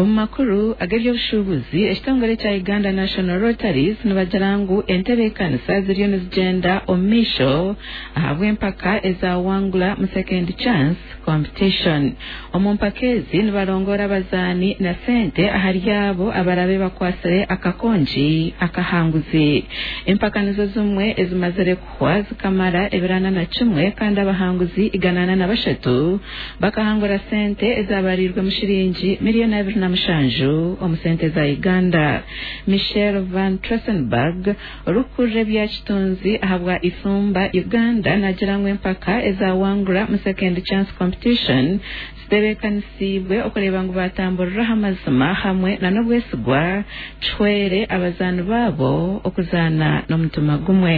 Omu makuru ag'eby'obushuubuzi, ekitongore kya Uganda National Rotaries nibagira ngu entebeekanisa ziriyo nizigyenda omu maisho ahabw'empaka eza Wangula mu Second Chance Competition. Omu mpaka ezi nibarongoora abazaani na sente ahari abo abarabe bakwatsire akakongi akahanguzi. Empaka nizo zimwe ezimazire kuhwa zikamara ebiro 41 kandi abahanguzi 143 Bakahangura sente ezabariirwemu shiringi miriyoni 27 omu sente za Uganda. Michelle Van Trossenberg, orikukurira ebya kitunzi ahabwa Isumba Uganda nagira ngu empaka eza Wangura mu Second Chance Competition zitebeekanisiibwe okureeba ngu batamburira aha mazima hamwe na n'obwesigwa kihwere abazaani baabo okuzaana n'omutima gumwe.